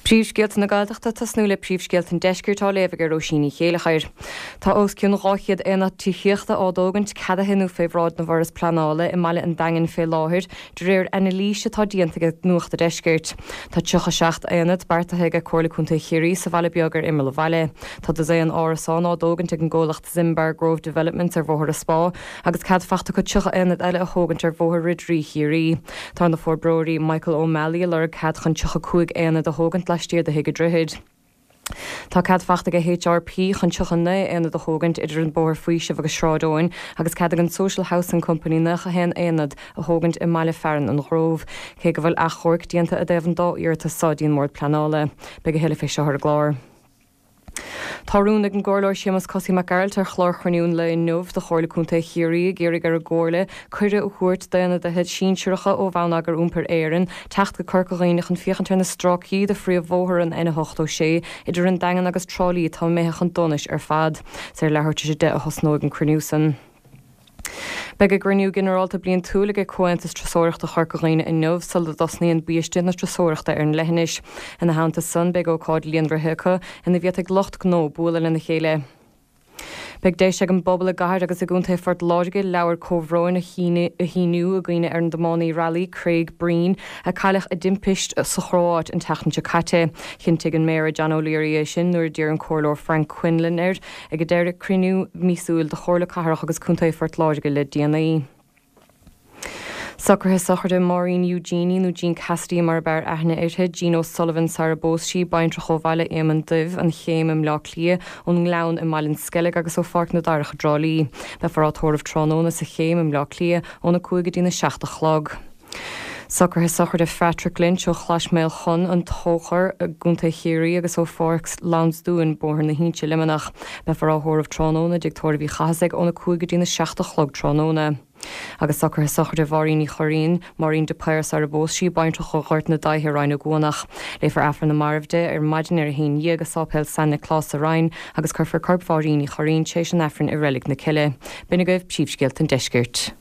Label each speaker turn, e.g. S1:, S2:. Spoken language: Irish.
S1: Príomhscéalta na Gaeltachta ag tosnú le príomhscéalta an Deiscirt á léamh ag Róisín Ní Chéilleachair. Tá os cionn 200 aonad tithíochta á dtógaint, ceadaithe nó fé bhráid na bhForas Pleanála i mbaile an Daingin fé láthair, de réir anailíse atá déanta ag Nuacht a' Deiscirt. Tá 37 aonad beartaithe ag Comhairle Contae Chiarraí sa bhaile beag ar imeall an bhaile. Tá dosaen árasán á dtógaint ag an gcomhlacht Zimbar Grove Developments ar Bhóthar an Spá agus cead fachta acu 30 aonad eile a thógaint ar Bhóthar Ridirí Chiarraí. Tá na forbróirí Michael O'Malley ag lorg cead chun 35 aonad a thógaint laistiar de Thigh an Droichid. Tá cead fachta ag HRP chun 39 aonad a thógaint idir an Bóthar Faoisimh agus Sráid Eoin agus cead ag an Social Housing Company 91 aonad a thógaint i mbaile fearainn an Ghrove. Cé go bhfuil achomharc déanta i dtaobh an dá iarratas so dtí an mBord Pleanála. Beidh a thuilleadh fé seo ar an gclár. Tá rún ag an gComhairleoir Séamus Cosaí Mac Gearailt ar chlár chruinniú an lae inniu de Chomhairle Contae Chiarraí ag iarraidh ar an gComhairle cuireadh a thabhairt d'ionadaithe sinsearacha ó Bhonneagar Iompair Éireann teacht go Corca Dhuibhne chun féachaint ar na stráicí de phríomhbhóthar an N86 idir an Daingean agus Trá Lí atá imithe chun donais ar fad. Is ar leathuair tar éis 10 a thosnóidh an cruinniú san. Beidh a gcruinniú ginearálta bliantúil ag Comhaontas Turasóireachta Chorca Dhuibhne inniu sula dtosnaíonn biaiste na turasóireachta ar an leithinis. Ina theannta san, beidh ócáid líonraithe acu ina bhféadfaidh lucht gnó bualadh lena chéile. Beidh deis ag an bpobal i gcathair agus i gContae Phort Láirge leabhar comhbhróin a shíniú i gcuimhne ar an dtiománaí railí Craig Breen a cailleadh i dtimpist sa Chróáit an tseachtain seo caite. Chinntigh an Méara John O'Leary é sin nuair a d'iarr an Comhairleoir Frank Quinlan air Ag deireadh cruinniú míosúil de Chomhairle Cathrach agus Contae Phort Láirge le déanaí. Socruithe sochraide Máirín Eugenie nó Jean Cassidy mar ab fhearr aithne uirthi, Jean O'Sullivan sara bpós sí, baintreach ó bhaile Éamonn Duibh, An Chéim i mBleá Cliath, ón nGleann i mBaile an Sceilg agus ó Pháirc na Darach i dTrá Lí. Beifear á tórramh tráthnóna sa Chéim i mBleá Cliath óna 5 go dtína 7 a chlog. Socruithe sochraide Phatrick Lynch ó Chlais Maolchon, An Tóchar, i gContae Chiarraí agus ó Pháirc Lansdúin, Bóthar na hInse, Luimneach. Beifear á thórramh tráthnóna i dTigh Tórraimh Uí Chathasaigh óna 5 go dtína 7 a chlog tráthnóna. Agus socruithe sochraide Mháirín Uí Churraoin, Máirín de Paor sara bpós sí, baintreach ó Ghort na Daighthe, Rinn Ó gCuanach. Léifear Aifreann na Marbh di ar maidin ar a haon dhéag i Sáipéal San Nioclás sa Rinn agus cuirfear corp Mháirín Uí Churraoin tar éis an Aifrinn i Reilig na Cille. B'in agaibh príomhscéalta an deiscirt.